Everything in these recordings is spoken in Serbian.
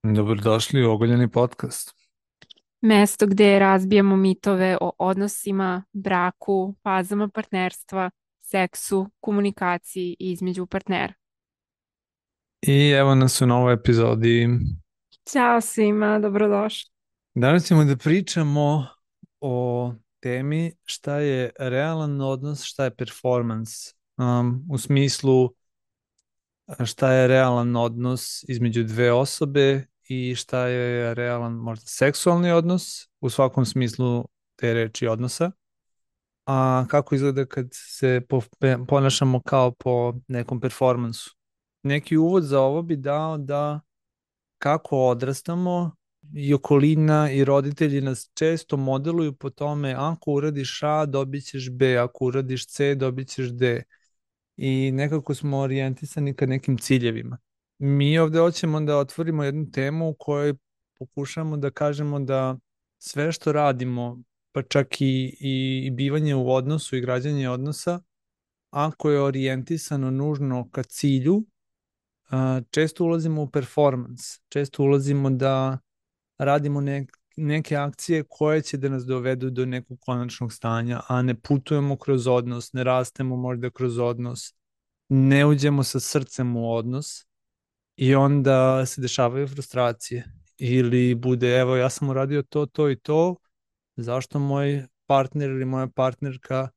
Dobrodošli u Ogoljeni podcast. Mesto gdje razbijamo mitove o odnosima, braku, fazama partnerstva, seksu, komunikaciji između partnera. I evo nas u novoj epizodi. Ćao svima, dobrodošli. Danas ćemo da pričamo o temi šta je realan odnos, šta je performance. U smislu šta je realan odnos između dve osobe i šta je realan možda seksualni odnos u svakom smislu te reči odnosa. A kako izgleda kad se ponašamo kao po nekom performansu. Neki uvod za ovo bi dao da kako odrastamo i okolina i roditelji nas često modeluju po tome ako uradiš A, dobit ćeš B, ako uradiš C, dobit ćeš D. I nekako smo orijentisani ka nekim ciljevima. Mi ovde hoćemo da otvorimo jednu temu u kojoj pokušamo da kažemo da sve što radimo, pa čak i bivanje u odnosu i građanje odnosa, ako je orijentisano nužno ka cilju, često ulazimo u performance, često ulazimo da radimo neke akcije koje će da nas dovedu do nekog konačnog stanja, a ne putujemo kroz odnos, ne rastemo možda kroz odnos, ne uđemo sa srcem u odnos i onda se dešavaju frustracije. Ili bude, evo ja sam uradio to, to i to, zašto moj partner ili moja partnerka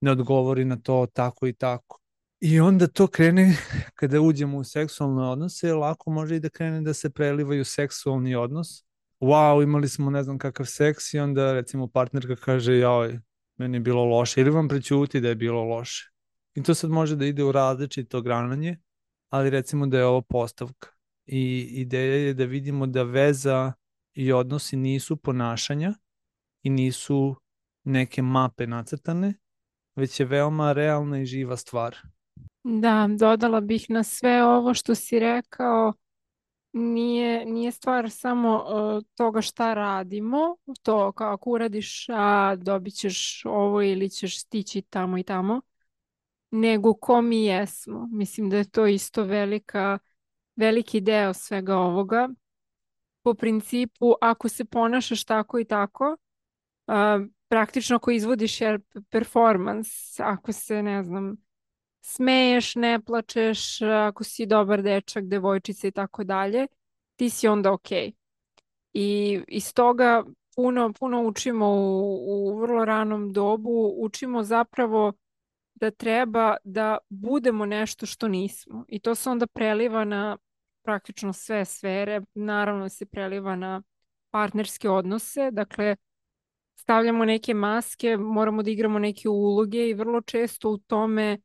ne odgovori na to tako i tako. I onda to krene, kada uđemo u seksualne odnose, lako može i da krene da se prelivaju seksualni odnos. Wow, imali smo ne znam kakav seks i onda recimo partnerka kaže, joj, meni je bilo loše, ili vam prećuti da je bilo loše. I to sad može da ide u različito grananje, ali recimo da je ovo postavka. I ideja je da vidimo da veza i odnosi nisu ponašanja i nisu neke mape nacrtane, već je veoma realna i živa stvar. Da, dodala bih na sve ovo što si rekao, nije stvar samo toga šta radimo, to kao ako uradiš A, dobit ćeš ovo ili ćeš stići tamo i tamo, nego ko mi jesmo. Mislim da je to isto veliki deo svega ovoga. Po principu, ako se ponašaš tako i tako, praktično ako izvodiš performance, ako se, ne znam, smeješ, ne plačeš, ako si dobar dečak, devojčica i tako dalje, ti si onda okej. I iz toga puno učimo u vrlo ranom dobu, učimo zapravo da treba da budemo nešto što nismo. I to se onda preliva na praktično sve sfere, naravno se preliva na partnerske odnose, dakle stavljamo neke maske, moramo da igramo neke uloge i vrlo često u tome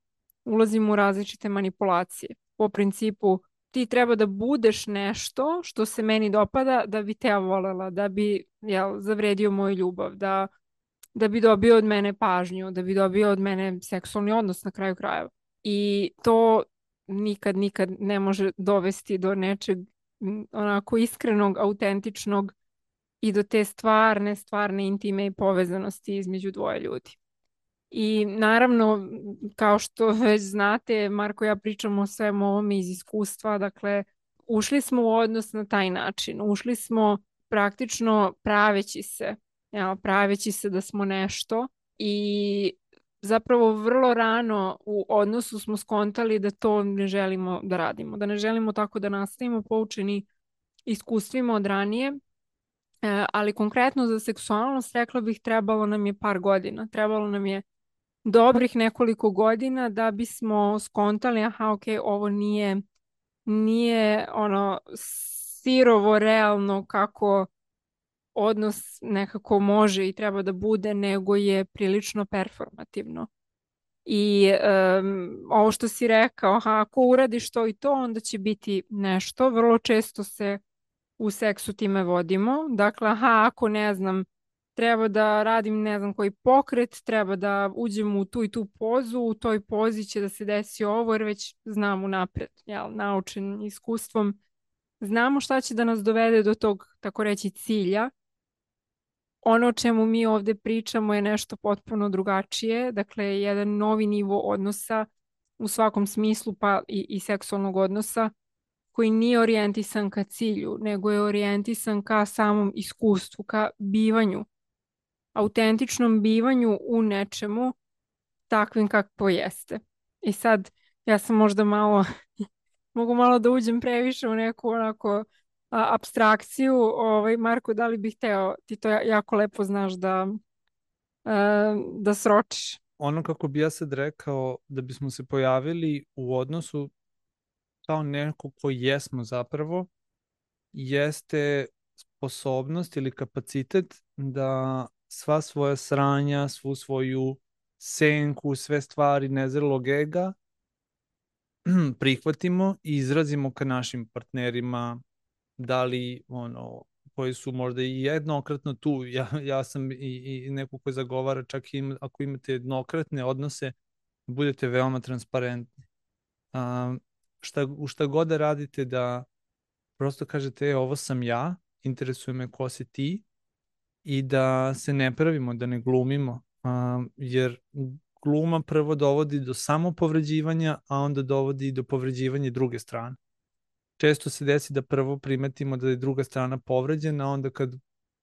ulazimo u različite manipulacije. Po principu ti treba da budeš nešto što se meni dopada da bi te ja volela, da bi zavredio moju ljubav, da bi dobio od mene pažnju, da bi dobio od mene seksualni odnos na kraju krajeva. I to nikad ne može dovesti do nečeg onako iskrenog, autentičnog i do te stvarne intime i povezanosti između dvoje ljudi. I naravno, kao što već znate, Marko i ja pričamo o svemu ovome iz iskustva, dakle, ušli smo u odnos na taj način, ušli smo praktično praveći se da smo nešto i zapravo vrlo rano u odnosu smo skontali da to ne želimo da radimo, da ne želimo tako da nastavimo poučeni iskustvima od ranije. Ali konkretno za seksualnost rekla bih trebalo nam je par godina. Trebalo nam je dobrih nekoliko godina da bismo skontali, aha, ok, ovo nije ono sirovo realno kako odnos nekako može i treba da bude, nego je prilično performativno. I ovo što si rekao, aha, ako uradiš to i to, onda će biti nešto. Vrlo često se u seksu time vodimo. Dakle, aha, ako ne znam, treba da radim ne znam koji pokret, treba da uđem u tu i tu pozu, u toj pozi će da se desi ovo, jer već znam unapred, naučen iskustvom. Znamo šta će da nas dovede do tog, tako reći, cilja. Ono o čemu mi ovde pričamo je nešto potpuno drugačije, dakle, jedan novi nivo odnosa u svakom smislu, pa i seksualnog odnosa koji nije orijentisan ka cilju, nego je orijentisan ka samom iskustvu, ka bivanju, autentičnom bivanju u nečemu takvim kakvo jeste. I sad, ja sam možda malo, mogu malo da uđem previše u neku onako apstrakciju. Marko, da li bih hteo, ti to jako lepo znaš da sročiš. Ono kako bi ja sad rekao, da bismo se pojavili u odnosu kao neko ko jesmo zapravo, jeste sposobnost ili kapacitet da sva svoja sranja, svu svoju senku, sve stvari nezrelog ega prihvatimo i izrazimo ka našim partnerima, da li koji su možda i jednokratno tu. Ja sam i neko koji zagovara, čak i ako imate jednokratne odnose, budete veoma transparentni. U šta god da radite, da prosto kažete, ovo sam ja, interesuje me ko si ti, i da se ne pravimo, da ne glumimo, jer gluma prvo dovodi do samopovređivanja, a onda dovodi do povređivanja druge strane. Često se desi da prvo primetimo da je druga strana povređena, a onda kad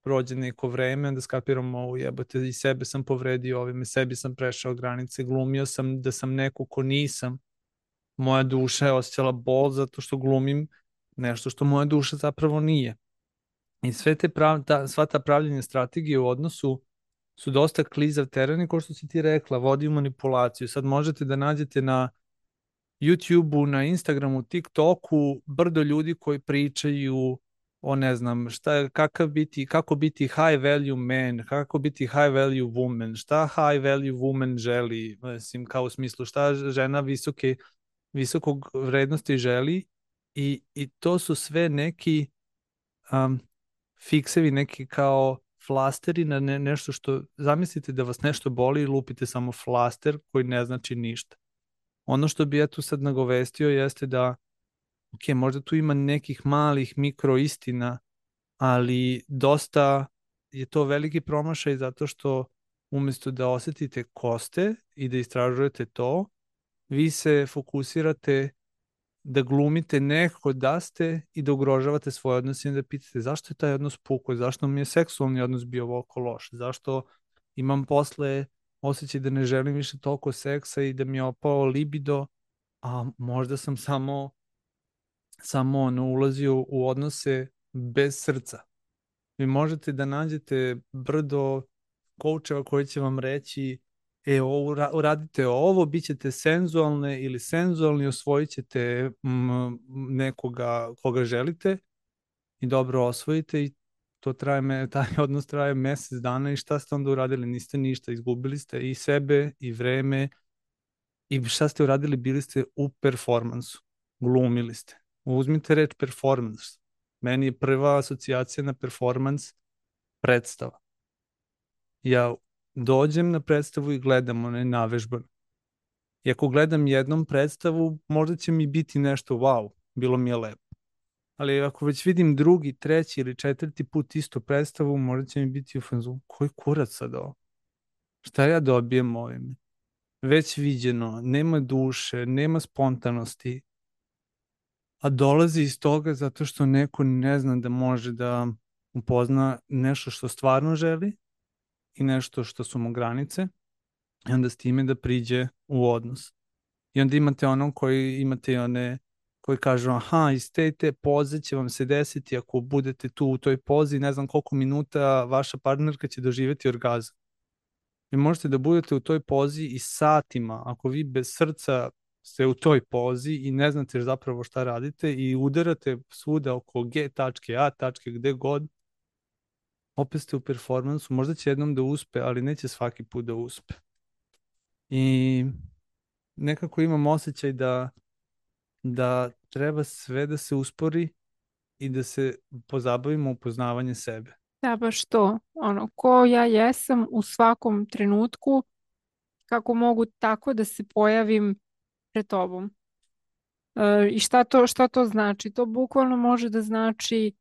prođe neko vreme, onda skapiramo, jebote, i sebe sam povredio ovime, sebi sam prešao granice, glumio sam da sam neko ko nisam. Moja duša je osjećala bol zato što glumim nešto što moja duša zapravo nije. I sva ta pravljenja strategije u odnosu su dosta klizav teren i, kao što si ti rekla, vodi u manipulaciju. Sad možete da nađete na YouTube-u, na Instagramu, TikToku brdo ljudi koji pričaju o, ne znam, kako biti high value man, kako biti high value woman, šta high value woman želi, mislim, kao u smislu šta žena visokog vrednosti želi, i to su sve neki fiksevi, neki kao flasteri na nešto što, zamislite da vas nešto boli i lupite samo flaster koji ne znači ništa. Ono što bi ja tu sad nagovestio jeste da, ok, možda tu ima nekih malih mikro istina, ali dosta je to veliki promašaj, zato što umesto da osetite ko ste i da istražujete to, vi se fokusirate da glumite neko da ste i da ugrožavate svoje odnose i da pitate zašto je taj odnos pukao, zašto mi je seksualni odnos bio ovako loš, zašto imam posle osjećaj da ne želim više toliko seksa i da mi je opao libido, a možda sam samo ulazio u odnose bez srca. Vi možete da nađete brdo koučeva koji će vam reći, uradite ovo, bit ćete senzualne ili senzualni, osvojit ćete nekoga koga želite i dobro osvojite, i taj odnos traje mesec dana, i šta ste onda uradili? Niste ništa, izgubili ste i sebe i vreme, i šta ste uradili? Bili ste u performansu, glumili ste. Uzmite reč performance. Meni je prva asocijacija na performans predstava. Ja dođem na predstavu i gledam onaj navežban. I ako gledam jednom predstavu, možda će mi biti nešto wow, bilo mi je lepo. Ali ako već vidim drugi, treći ili četvrti put istu predstavu, možda će mi biti u fazonu, koji kurac sad ovo? Šta ja dobijem ovime? Već viđeno, nema duše, nema spontanosti, a dolazi iz toga zato što neko ne zna da može da upozna nešto što stvarno želi i nešto što su mu granice, i onda s time da priđe u odnos. I onda imate one koji kažu, aha, iz te poze će vam se desiti, ako budete tu u toj pozi, ne znam koliko minuta vaša partnerka će doživjeti orgazam. Vi možete da budete u toj pozi i satima, ako vi bez srca ste u toj pozi i ne znate zapravo šta radite i udarate svuda oko G tačke, A tačke, gde god, opet ste u performansu. Možda će jednom da uspe, ali neće svaki put da uspe. I nekako imam osjećaj da treba sve da se uspori i da se pozabavimo upoznavanje sebe. Da, baš to. Ko ja jesam u svakom trenutku, kako mogu tako da se pojavim pred tobom. I šta to znači? To bukvalno može da znači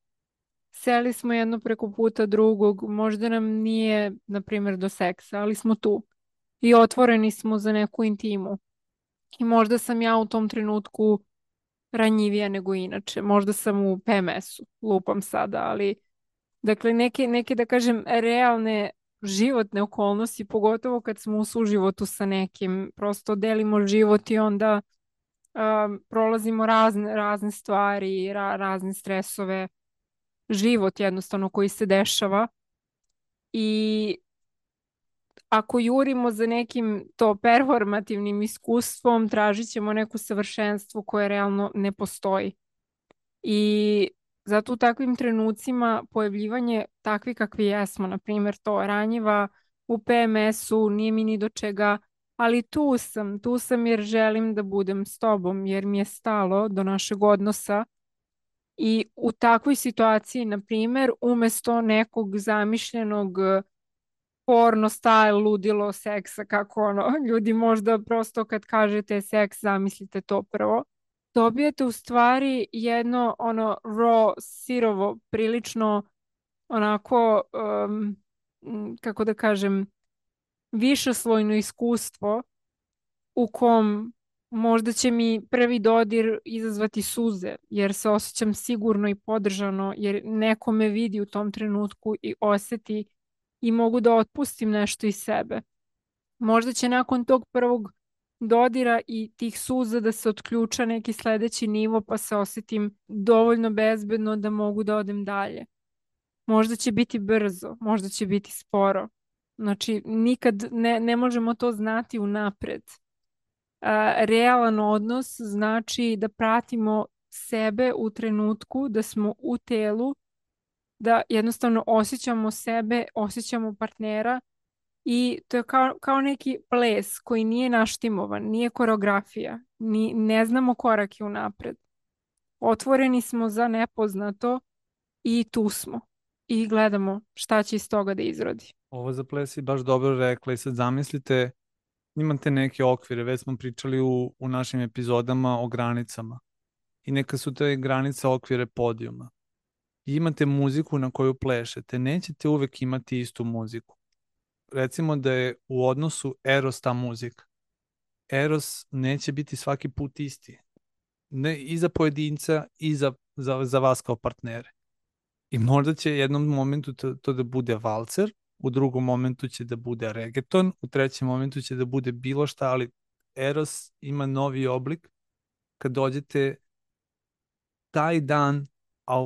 seli smo jedno preko puta drugog, možda nam nije, na primjer, do seksa, ali smo tu i otvoreni smo za neku intimu. I možda sam ja u tom trenutku ranjivija nego inače. Možda sam u PMS-u, lupam sada, ali dakle neke da kažem realne životne okolnosti, pogotovo kad smo u suživotu sa nekim, prosto delimo život i onda prolazimo razne stvari, razne stresove, život jednostavno koji se dešava i ako jurimo za nekim to performativnim iskustvom, tražit ćemo neko savršenstvo koje realno ne postoji. I zato u takvim trenucima pojavljivanje takvi kakvi jesmo, na primjer to ranjiva u PMS-u, nije mi ni do čega, ali tu sam jer želim da budem s tobom, jer mi je stalo do našeg odnosa i u takvoj situaciji, na primjer, umesto nekog zamišljenog porno style ludilo seksa, kako ono, ljudi možda prosto kad kažete seks zamislite to prvo. Dobijete u stvari jedno ono raw, sirovo, prilično onako, kako da kažem, višeslojno iskustvo u kom možda će mi prvi dodir izazvati suze, jer se osjećam sigurno i podržano, jer neko me vidi u tom trenutku i osjeti i mogu da otpustim nešto iz sebe. Možda će nakon tog prvog dodira i tih suza da se otključa neki sledeći nivo pa se osjetim dovoljno bezbedno da mogu da odem dalje. Možda će biti brzo, možda će biti sporo. Znači, nikad ne možemo to znati unapred. Realan odnos znači da pratimo sebe u trenutku, da smo u telu, da jednostavno osjećamo sebe, osjećamo partnera i to je kao neki ples koji nije naštimovan, nije koreografija, ne znamo korake unapred. Otvoreni smo za nepoznato i tu smo i gledamo šta će iz toga da izrodi. Ovo za ples si baš dobro rekla i sad zamislite, imate neke okvire, već smo pričali u našim epizodama o granicama i neka su te granice okvire podijuma. I imate muziku na koju plešete, nećete uvek imati istu muziku. Recimo da je u odnosu Eros ta muzika. Eros neće biti svaki put isti. Ne, i za pojedinca i za vas kao partnere. I možda će jednom momentu to da bude valcer, u drugom momentu će da bude reggaeton, u trećem momentu će da bude bilo šta, ali Eros ima novi oblik kad dođete taj dan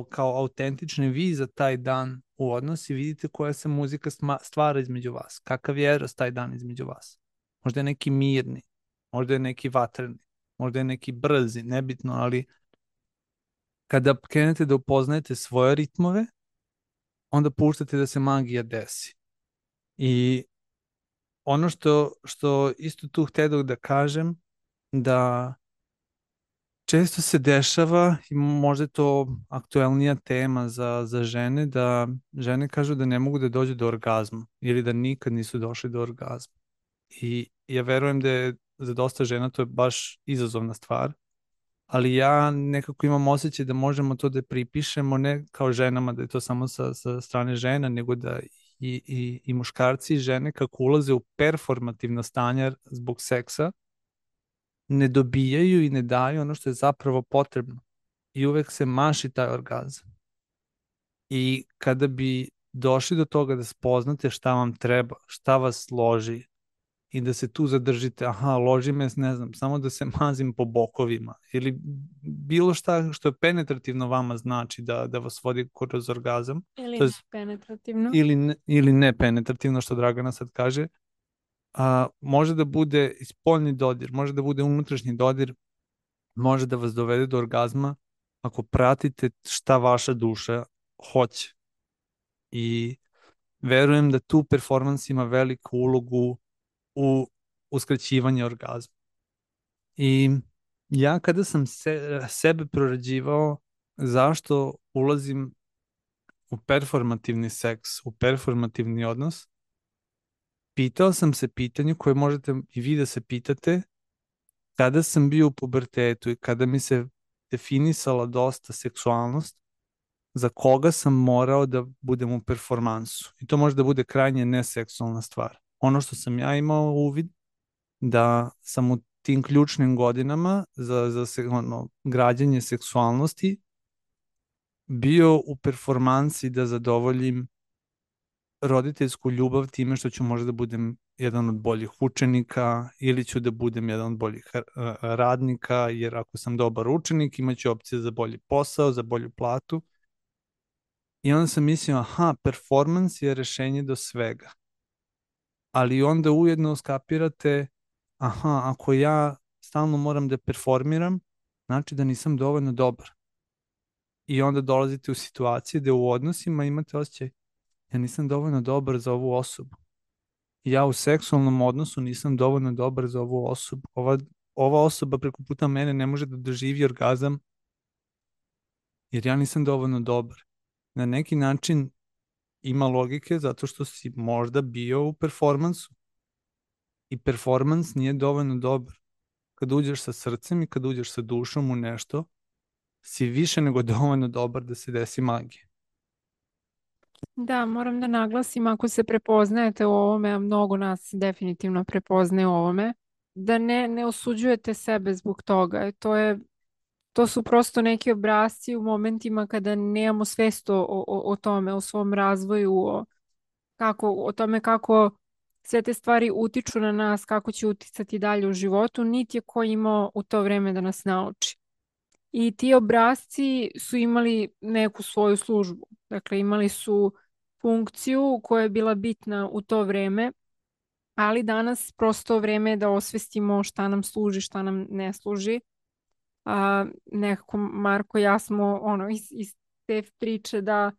kao autentični vi za taj dan u odnos i vidite koja se muzika stvara između vas. Kakav je Eros taj dan između vas. Možda je neki mirni, možda je neki vatreni, možda je neki brzi, nebitno, ali kada krenete da upoznajete svoje ritmove, onda puštate da se magija desi. I ono što isto tu htedog da kažem, da često se dešava, i možda je to aktuelnija tema za žene, da žene kažu da ne mogu da dođu do orgazma ili da nikad nisu došli do orgazma. I ja verujem da je za dosta žena to je baš izazovna stvar, ali ja nekako imam osjećaj da možemo to da pripišemo ne kao ženama, da je to samo sa strane žena, nego da i muškarci i žene kako ulaze u performativno stanje zbog seksa, ne dobijaju i ne daju ono što je zapravo potrebno. I uvek se maši taj orgazam. I kada bi došli do toga da spoznate šta vam treba, šta vas loži i da se tu zadržite, aha, loži me, ne znam, samo da se mazim po bokovima ili bilo šta što je penetrativno vama znači da vas vodi kroz orgazam. Ili ne penetrativno. Ili ne penetrativno, što Dragana sad kaže, može da bude i spoljni dodir, može da bude unutrašnji dodir, može da vas dovede do orgazma ako pratite šta vaša duša hoće. I verujem da tu performans ima veliku ulogu u uskraćivanju orgazma. I ja kada sam sebe prorađivao zašto ulazim u performativni seks, u performativni odnos, pitao sam se pitanje koje možete i vi da se pitate kada sam bio u pubertetu i kada mi se definisala dosta seksualnost, za koga sam morao da budem u performansu. I to može da bude krajnje neseksualna stvar. Ono što sam ja imao uvid, da sam u tim ključnim godinama za građenje seksualnosti bio u performansi da zadovoljim roditeljsku ljubav time što ću možda da budem jedan od boljih učenika ili ću da budem jedan od boljih radnika, jer ako sam dobar učenik imaću opcije za bolji posao, za bolju platu. I onda sam mislio, aha, performance je rešenje do svega. Ali onda ujedno skapirate, aha, ako ja stalno moram da performiram, znači da nisam dovoljno dobar. I onda dolazite u situacije gde u odnosima imate osjećaj, ja nisam dovoljno dobar za ovu osobu. Ja u seksualnom odnosu nisam dovoljno dobar za ovu osobu. Ova osoba preko puta mene ne može da doživi orgazam jer ja nisam dovoljno dobar. Na neki način ima logike zato što si možda bio u performansu. I performans nije dovoljno dobar. Kad uđeš sa srcem i kad uđeš sa dušom u nešto, si više nego dovoljno dobar da se desi magija. Da, moram da naglasim, ako se prepoznajete u ovome, a mnogo nas se definitivno prepoznaje u ovome, da ne osuđujete sebe zbog toga. To su prosto neki obrasci u momentima kada nemamo svest o tome, o svom razvoju, o tome kako sve te stvari utiču na nas, kako će uticati dalje u životu, niti je ko imao u to vreme da nas nauči. I ti obrasci su imali neku svoju službu. Dakle, imali su funkciju koja je bila bitna u to vreme, ali danas prosto vreme je da osvestimo šta nam služi, šta nam ne služi. Nekako Marko i ja smo iz te priče da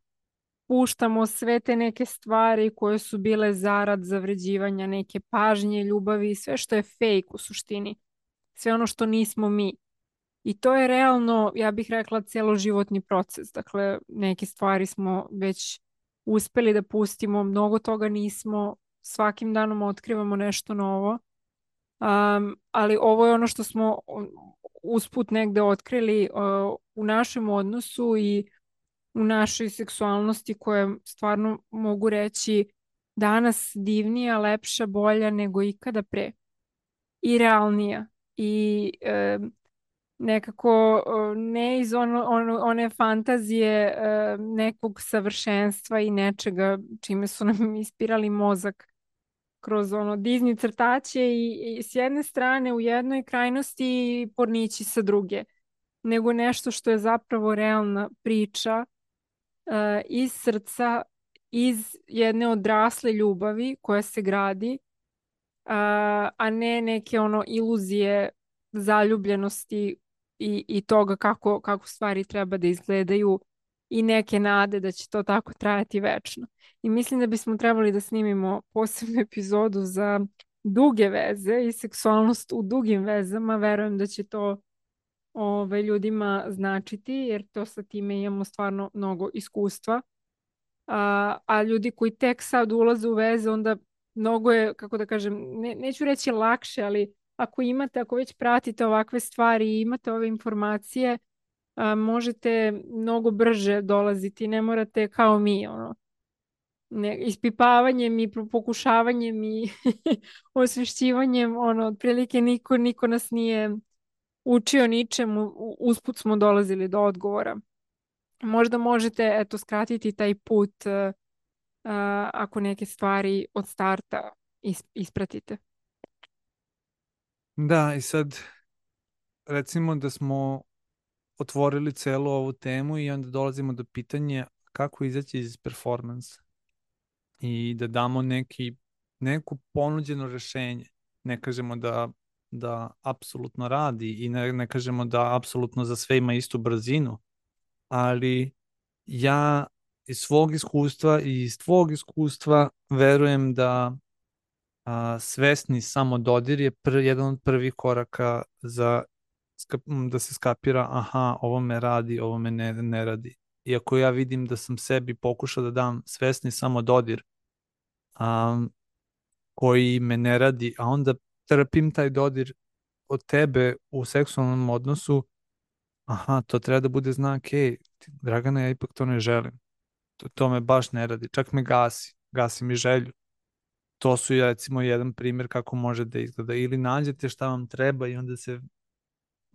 puštamo sve te neke stvari koje su bile zarad zavređivanja neke pažnje, ljubavi, sve što je fake u suštini. Sve ono što nismo mi. I to je realno, ja bih rekla, celoživotni proces. Dakle, neke stvari smo već uspeli da pustimo, mnogo toga nismo, svakim danom otkrivamo nešto novo. Ali ovo je ono što smo usput negde otkrili u našem odnosu i u našoj seksualnosti koja stvarno mogu reći danas divnija, lepša, bolja nego ikada pre. I realnija. I nekako ne iz one fantazije nekog savršenstva i nečega čime su nam ispirali mozak kroz Disney crtaće i s jedne strane u jednoj krajnosti i pornići sa druge, nego nešto što je zapravo realna priča iz srca, iz jedne odrasle ljubavi koja se gradi, a ne neke iluzije zaljubljenosti i toga kako stvari treba da izgledaju i neke nade da će to tako trajati večno. I mislim da bismo trebali da snimimo posebnu epizodu za duge veze i seksualnost u dugim vezama. Verujem da će to ljudima značiti, jer to sa time imamo stvarno mnogo iskustva. A ljudi koji tek sad ulaze u veze, onda mnogo je, kako da kažem, neću reći lakše, ali ako već pratite ovakve stvari i imate ove informacije, možete mnogo brže dolaziti, ne morate kao mi, ispipavanjem i pokušavanjem i osvešćivanjem, otprilike niko nas nije učio ničemu, usput smo dolazili do odgovora. Možda možete, skratiti taj put ako neke stvari od starta ispratite. Da, i sad recimo da smo otvorili celu ovu temu i onda dolazimo do pitanja kako izaći iz performansa i da damo neku ponuđeno rešenje. Ne kažemo da apsolutno radi i ne kažemo da apsolutno za sve ima istu brzinu, ali ja iz svog iskustva i iz tvog iskustva verujem da svesni samododir je jedan od prvih koraka da se skapira, aha, ovo me radi, ovo me ne radi. Iako ja vidim da sam sebi pokušao da dam svesni samododir koji me ne radi, a onda trpim taj dodir od tebe u seksualnom odnosu, aha, to treba da bude znak, Dragana, ja ipak to ne želim. To me baš ne radi, čak me gasi mi želju. To su recimo jedan primjer kako može da izgleda. Ili nađete šta vam treba i onda se,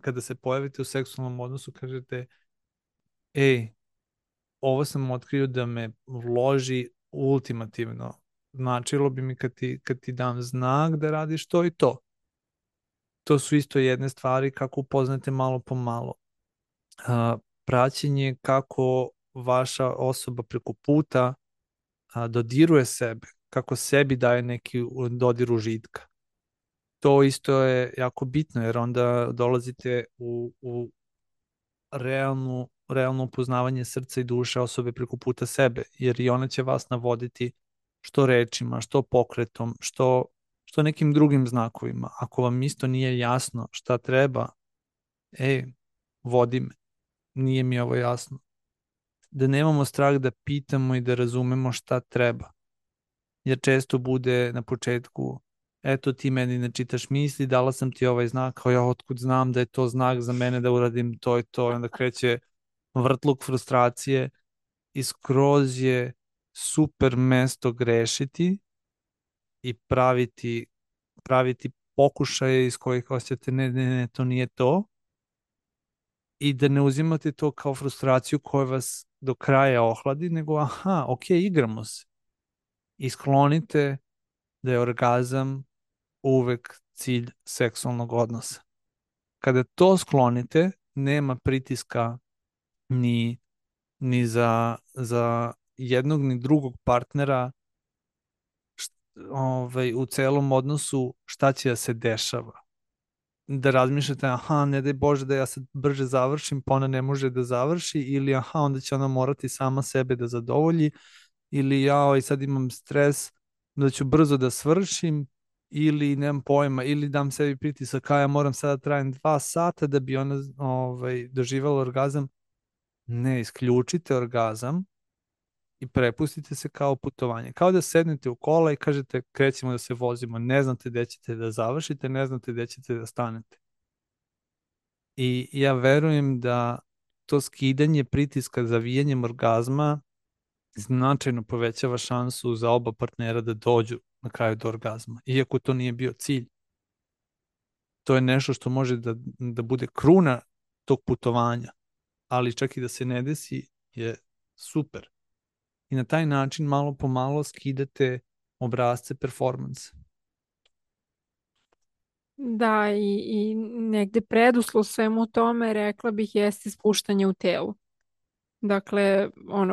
kada se pojavite u seksualnom odnosu, kažete, ej, ovo sam otkrio da me vloži ultimativno. Značilo bi mi kad ti dam znak da radiš to i to. To su isto jedne stvari kako upoznate malo po malo. Praćenje kako vaša osoba preko puta dodiruje sebe, kako sebi daje neki dodir užitka. To isto je jako bitno, jer onda dolazite u realno upoznavanje srca i duše osobe preko puta sebe, jer i ona će vas navoditi što rečima, što pokretom, što nekim drugim znakovima. Ako vam isto nije jasno šta treba, vodi me, nije mi ovo jasno. Da nemamo strah da pitamo i da razumemo šta treba. Jer često bude na početku, eto ti meni ne čitaš misli, dala sam ti ovaj znak, kao ja otkud znam da je to znak za mene da uradim to i to, i onda kreće vrtluk frustracije i skroz je super mesto grešiti i praviti pokušaje iz kojih osjećate ne, to nije to, i da ne uzimate to kao frustraciju koja vas do kraja ohladi, nego aha, ok, igramo se. I sklonite da je orgazam uvek cilj seksualnog odnosa. Kada to sklonite, nema pritiska ni za jednog ni drugog partnera u celom odnosu šta će da se dešava. Da razmišljate, aha, ne daj Bože da ja sad brže završim, pa ona ne može da završi, ili aha, onda će ona morati sama sebe da zadovolji, ili ja sad imam stres da ću brzo da svršim, ili nemam pojma, ili dam sebi pritisak, ja moram sada trajem 2 sata da bi ona doživala orgazam. Ne, isključite orgazam i prepustite se kao putovanje. Kao da sednete u kola i kažete krećemo da se vozimo, ne znate gde ćete da završite, ne znate gde ćete da stanete. I ja verujem da to skidanje pritiska zavijanjem orgazma značajno povećava šansu za oba partnera da dođu na kraju do orgazma, iako to nije bio cilj. To je nešto što može da bude kruna tog putovanja, ali čak i da se ne desi je super. I na taj način malo po malo skidate obrasce performansa. Da, i negde preduslov svemu tome, rekla bih, jeste spuštanje u telu. Dakle,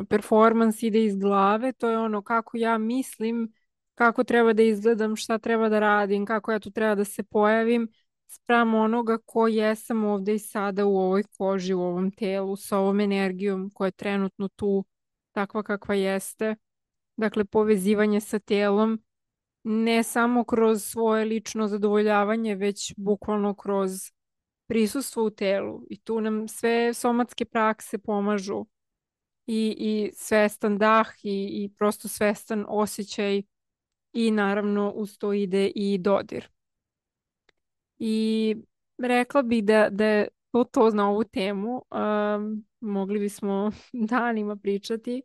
performans ide iz glave, to je ono kako ja mislim, kako treba da izgledam, šta treba da radim, kako ja tu treba da se pojavim, spram onoga ko jesam ovde i sada u ovoj koži, u ovom telu, sa ovom energijom koja je trenutno tu, takva kakva jeste. Dakle, povezivanje sa telom, ne samo kroz svoje lično zadovoljavanje, već bukvalno kroz prisustvo u telu. I tu nam sve somatske prakse pomažu. I svestan dah i prosto svestan osjećaj i naravno uz to ide i dodir. I rekla bih da je to na ovu temu. Mogli bismo danima pričati,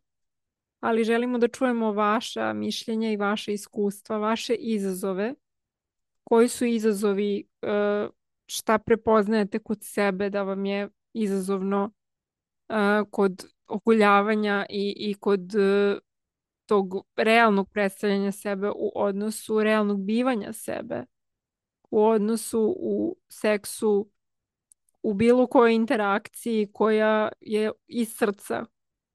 ali želimo da čujemo vaša mišljenja i vaše iskustva, vaše izazove. Koji su izazovi, šta prepoznajete kod sebe da vam je izazovno kod oguljavanja i kod tog realnog predstavljanja sebe u odnosu, realnog bivanja sebe u odnosu, u seksu, u bilo kojoj interakciji koja je iz srca,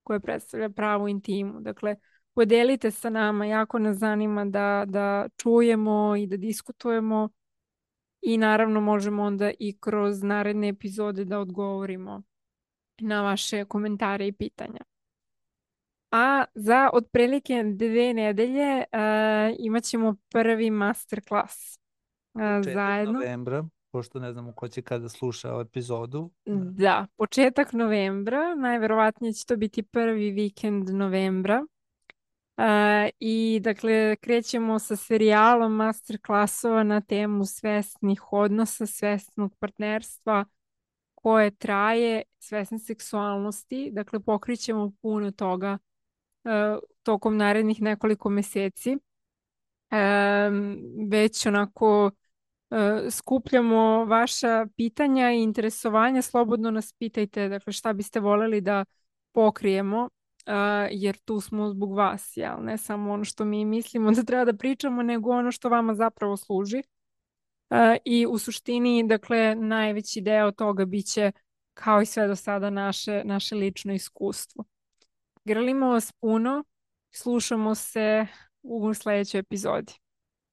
koja predstavlja pravu intimu. Dakle, podelite sa nama, jako nas zanima da čujemo i da diskutujemo i naravno možemo onda i kroz naredne epizode da odgovorimo na vaše komentare i pitanja. A za otprilike 2 nedelje imat ćemo prvi masterclass zajedno. Novembra, pošto ne znamo ko će kada sluša epizodu. Da, početak novembra, najverovatnije će to biti prvi vikend novembra. I dakle krećemo sa serijalom masterclassova na temu svesnih odnosa, svesnog partnerstva koje traje, svesne seksualnosti. Dakle, pokrićemo puno toga tokom narednih nekoliko meseci. već onako skupljamo vaša pitanja i interesovanja. Slobodno nas pitajte, dakle, šta biste voljeli da pokrijemo, jer tu smo zbog vas, jel? Ne samo ono što mi mislimo da treba da pričamo, nego ono što vama zapravo služi. I u suštini, dakle, najveći deo toga biće, kao i sve do sada, naše lično iskustvo. Grlimo vas puno, slušamo se u sljedećoj epizodi.